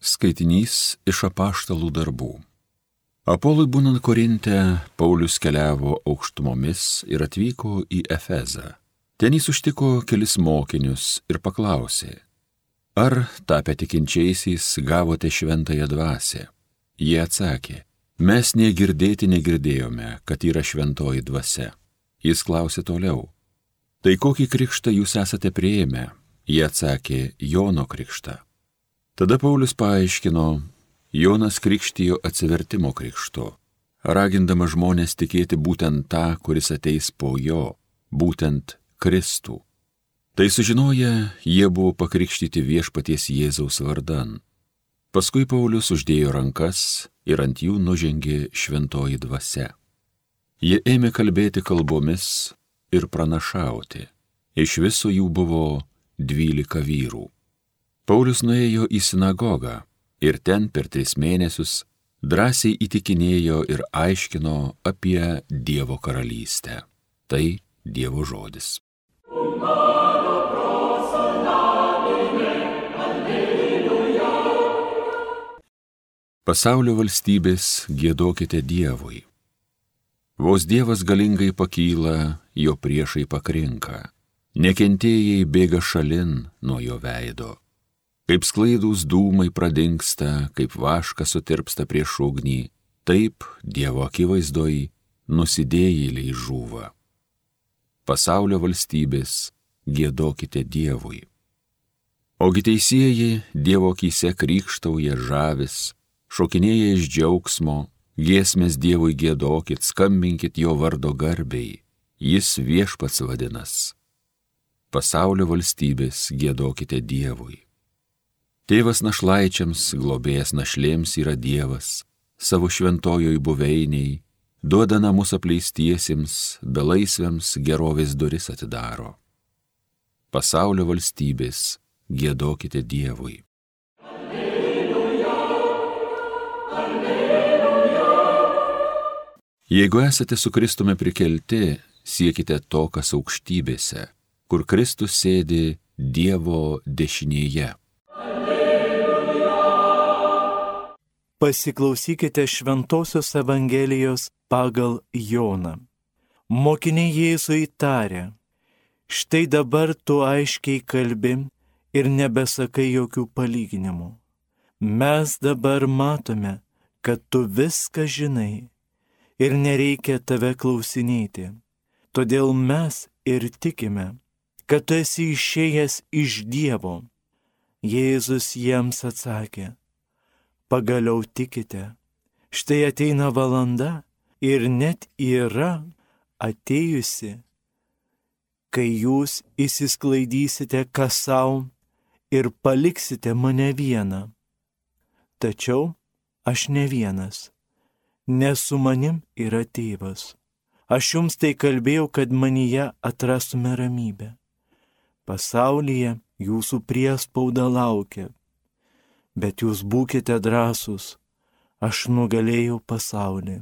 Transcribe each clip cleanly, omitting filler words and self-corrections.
Skaitinys iš apaštalų darbų. Apolui būnant Korinte, Paulius keliavo aukštumomis ir atvyko į Efezą. Ten jis užtiko kelis mokinius ir paklausė, ar tapę tikinčiaisiais gavote šventąją dvasią? Jie atsakė, mes negirdėti negirdėjome, kad yra šventoji dvasia. Jis klausė toliau, tai kokį krikštą jūs esate priėmę? Jie atsakė, Jono krikštą. Tada Paulius paaiškino, Jonas krikštijo atsivertimo krikštu, ragindamas žmonės tikėti būtent tą, kuris ateis po jo, būtent Kristų. Tai sužinoję, jie buvo pakrikštyti viešpaties Jėzaus vardan. Paskui Paulius uždėjo rankas ir ant jų nužengė šventoji dvasia. Jie ėmė kalbėti kalbomis ir pranašauti. Iš viso jų buvo 12 vyrų. Paulius nuėjo į sinagogą ir ten per 3 mėnesius drąsiai įtikinėjo ir aiškino apie Dievo karalystę. Tai Dievo žodis. Pasaulio valstybės giedokite Dievui. Vos Dievas galingai pakyla, jo priešai pakrinka. Nekentėjai bėga šalin nuo jo veido. Kaip sklaidūs dūmai pradingsta, kaip vaškas sutirpsta prieš ugnį, taip Dievo akivaizdoj nusidėjėliai žūva. Pasaulio valstybės giedokite Dievui. Ogi teisieji Dievo akyse krykštauja žavis, šokinėja iš džiaugsmo, giesmės Dievui giedokit, skambinkit jo vardo garbei, jis viešpats vadinas. Pasaulio valstybės giedokite Dievui. Tėvas našlaičiams, globėjas našlėms yra Dievas, savo šventojoj buveiniai, duoda namus apleistiesiems, belaisviams gerovės duris atidaro. Pasaulio valstybės giedokite Dievui. Alleluja, alleluja. Jeigu esate su Kristumi prikelti, siekite to, kas aukštybėse, kur Kristus sėdi Dievo dešinėje. Pasiklausykite Šventosios Evangelijos pagal Joną. Mokiniai Jėzui tarė, štai dabar tu aiškiai kalbi ir nebesakai jokių palyginimų. Mes dabar matome, kad tu viską žinai ir nereikia tave klausinėti. Todėl mes ir tikime, kad tu esi išėjęs iš Dievo. Jėzus jiems atsakė, pagaliau tikite, štai ateina valanda ir net yra atėjusi, kai jūs išsisklaidysite kas savo ir paliksite mane vieną. Tačiau aš ne vienas, nes su manim yra Tėvas. Aš jums tai kalbėjau, kad manyje atrastume ramybę. Pasaulyje jūsų priespauda laukia. Bet jūs būkite drąsūs, aš nugalėjau pasaulį.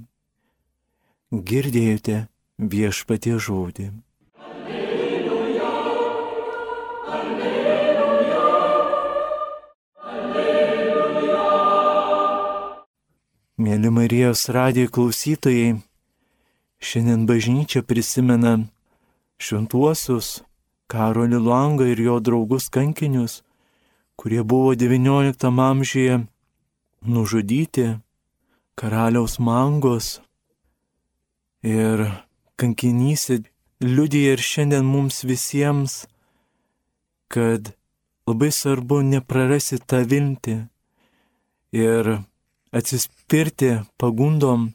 Girdėjote viešpaties žodį. Alleluja, alleluja, alleluja. Mėly Marijos radijo klausytojai, šiandien bažnyčia prisimena šventuosius Karolį Luangą ir jo draugus kankinius, kurie buvo XIX amžiuje nužudyti karaliaus Mangos. Ir kankinys liudija ir šiandien mums visiems, kad labai svarbu neprarasti tą viltį ir atsispirti pagundom,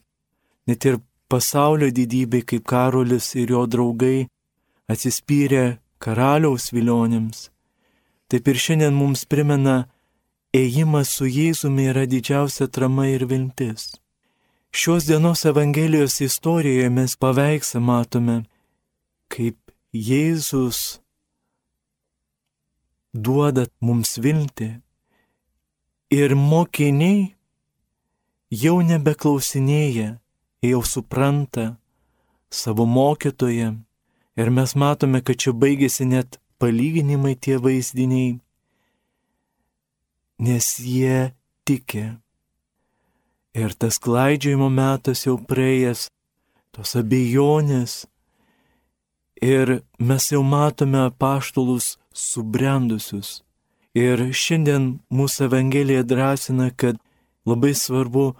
net ir pasaulio didybei, kaip Karolis ir jo draugai atsispyrė karaliaus vilionėms. Taip ir šiandien mums primena, ėjimas su Jėzumi yra didžiausia atrama ir viltis. Šios dienos Evangelijos istorijoje mes paveikslą matome, kaip Jėzus duoda mums viltį ir mokiniai jau nebeklausinėja, jau supranta savo mokytoją ir mes matome, kad čia baigėsi net palyginimai tie vaizdiniai, nes jie tiki. Ir tas klaidžiojimo metas jau praėjęs, tos abejonės. Ir mes jau matome apaštalus subrendusius. Ir šiandien mūsų Evangelija drąsina, kad labai svarbu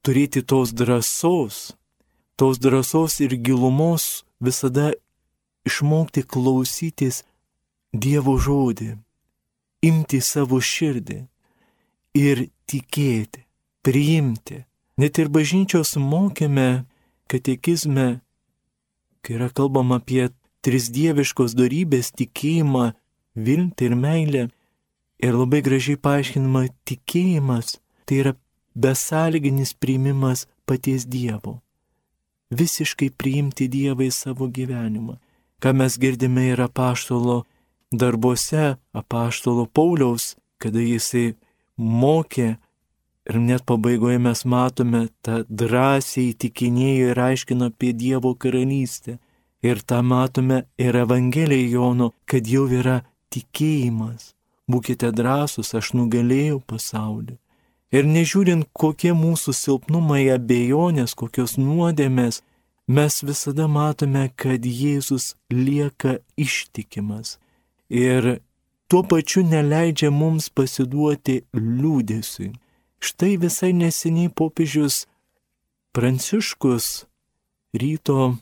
turėti tos drąsos ir gilumos visada išmokti klausytis Dievo žodį, imti savo širdį ir tikėti, priimti. Net ir bažnyčios mokyme, katekizme, kai yra kalbama apie trisdieviškos dorybės tikėjimą, viltį ir meilę, ir labai gražiai paaiškinama tikėjimas, tai yra besąlyginis priimimas paties Dievo. Visiškai priimti Dievą į savo gyvenimą. Ką mes girdime ir apaštalo darbuose, apaštalo Pauliaus, kada jisai mokė ir net pabaigoje mes matome tą drąsiai įtikinėjo ir aiškino apie Dievo karalystę. Ir tą matome ir Evangelijoje Jono, kad jau yra tikėjimas. Būkite drąsūs, aš nugalėjau pasaulį. Ir nežiūrint, kokie mūsų silpnumai, abejonės, kokios nuodėmės, mes visada matome, kad Jėzus lieka ištikimas. Ir tuo pačiu neleidžia mums pasiduoti liūdesiui. Štai visai neseniai popiežius Pranciškus ryto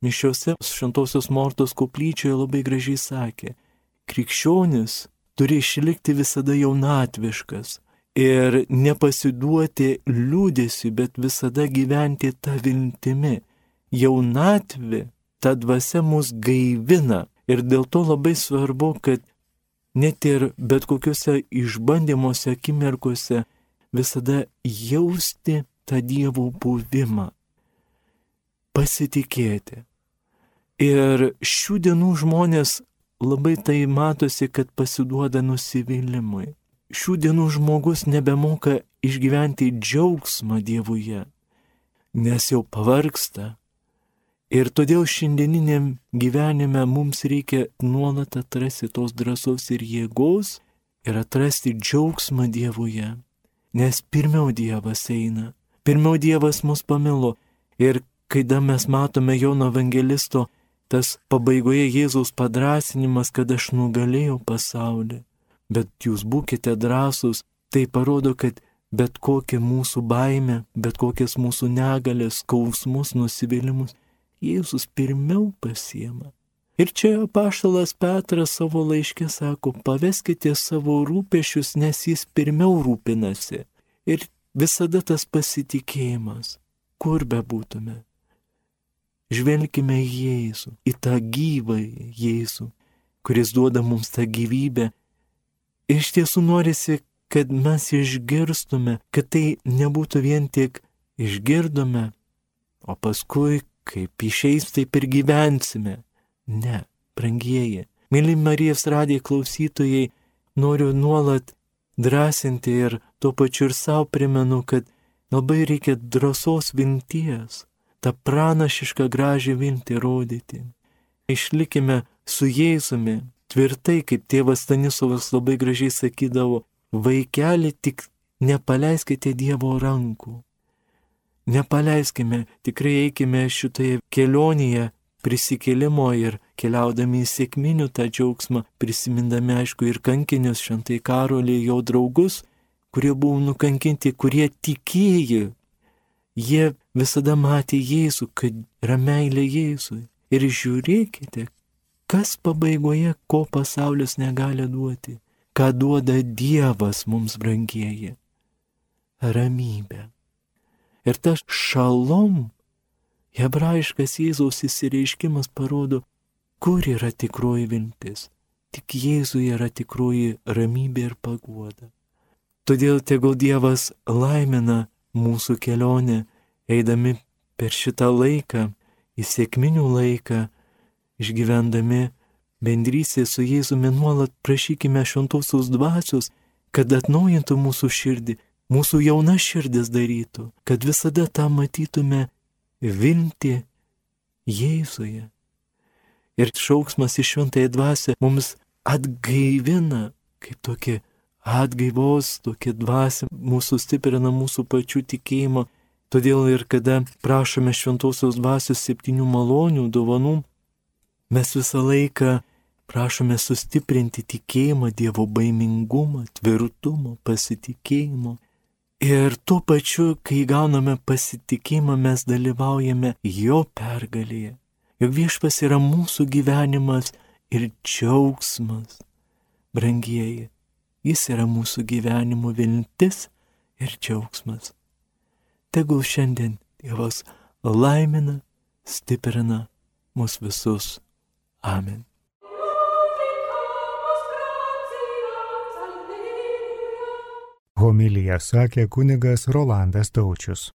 mišiose Šventosios Mortos koplyčioje labai gražiai sakė, krikščionis turi išlikti visada jaunatviškas ir nepasiduoti liūdesiui, bet visada gyventi tą viltimi. Jaunatvė, ta dvasia mus gaivina ir dėl to labai svarbu, kad net ir bet kokiuose išbandymuose, akimirkose visada jausti tą Dievo buvimą, pasitikėti. Ir šių dienų žmonės labai tai matosi, kad pasiduoda nusivylimui. Šių dienų žmogus nebemoka išgyventi džiaugsmą Dievuje, nes jau pavargsta. Ir todėl šiandieniniam gyvenime mums reikia nuolat atrasti tos drąsos ir jėgos ir atrasti džiaugsmą Dievuje. Nes pirmiau Dievas eina, pirmiau Dievas mus pamilo. Ir kada mes matome Jono evangelisto, tas pabaigoje Jėzaus padrąsinimas, kad aš nugalėjau pasaulį, bet jūs būkite drąsūs, tai parodo, kad bet kokia mūsų baimė, bet kokias mūsų negalės, skausmus, nusivylimus, Jėzus pirmiau pasiema. Ir čia apaštalas Petras savo laiške sako, paveskite savo rūpesčius, nes jis pirmiau rūpinasi. Ir visada tas pasitikėjimas, kur bebūtume. Žvelkime į Jėzų, į tą gyvą Jėzų, kuris duoda mums tą gyvybę. Ir iš tiesų norisi, kad mes išgirstume, kad tai nebūtų vien tik išgirdome, o paskui, kaip išeis, taip ir gyvensime. Ne, brangieji, myli Marijos radijo klausytojai, noriu nuolat drąsinti ir tuo pačiu ir savo primenu, kad labai reikia drąsos vilties, tą pranašišką gražią viltį rodyti. Išlikime su Jėzumi tvirtai, kaip tėvas Stanislovas labai gražiai sakydavo, vaikeli, tik nepaleiskite Dievo rankų. Nepaleiskime, tikrai eikime šitoje kelionėje prisikėlimo ir keliaudami į sekminių tą džiaugsmą, prisimindami aišku ir kankinius Šventai Karolį, jo draugus, kurie buvo nukankinti, kurie tikėjo. Jie visada matė Jėzų, kad yra meilė Jėzui. Ir žiūrėkite, kas pabaigoje, ko pasaulis negali duoti, ką duoda Dievas mums, brangieji. Ramybė. Ir tas šalom, hebrajiškas Jėzaus įsireiškimas parodo, kur yra tikroji viltis. Tik Jėzuje yra tikroji ramybė ir paguoda. Todėl tegul Dievas laimina mūsų kelionę, eidami per šitą laiką, į sekminių laiką, išgyvendami bendrystę su Jėzumi, nuolat prašykime šventosios dvasios, kad atnaujintų mūsų širdį, mūsų jauna širdis darytų, kad visada tą matytume viltį Jėzuje. Ir šauksmas į šventąją dvasią mums atgaivina, kaip tokį atgaivos, tokia dvasia mūsų stiprina mūsų pačių tikėjimą. Todėl ir kada prašome šventosios dvasios 7 malonių dovanų, mes visą laiką prašome sustiprinti tikėjimą, Dievo baimingumą, tvirtumą, pasitikėjimą. Ir tuo pačiu, kai gauname pasitikėjimą, mes dalyvaujame jo pergalėje. Juk Viešpats yra mūsų gyvenimas ir džiaugsmas. Brangieji, jis yra mūsų gyvenimo viltis ir džiaugsmas. Tegul šiandien Dievas laimina, stiprina mus visus. Amen. Homiliją sakė kunigas Rolandas Taučius.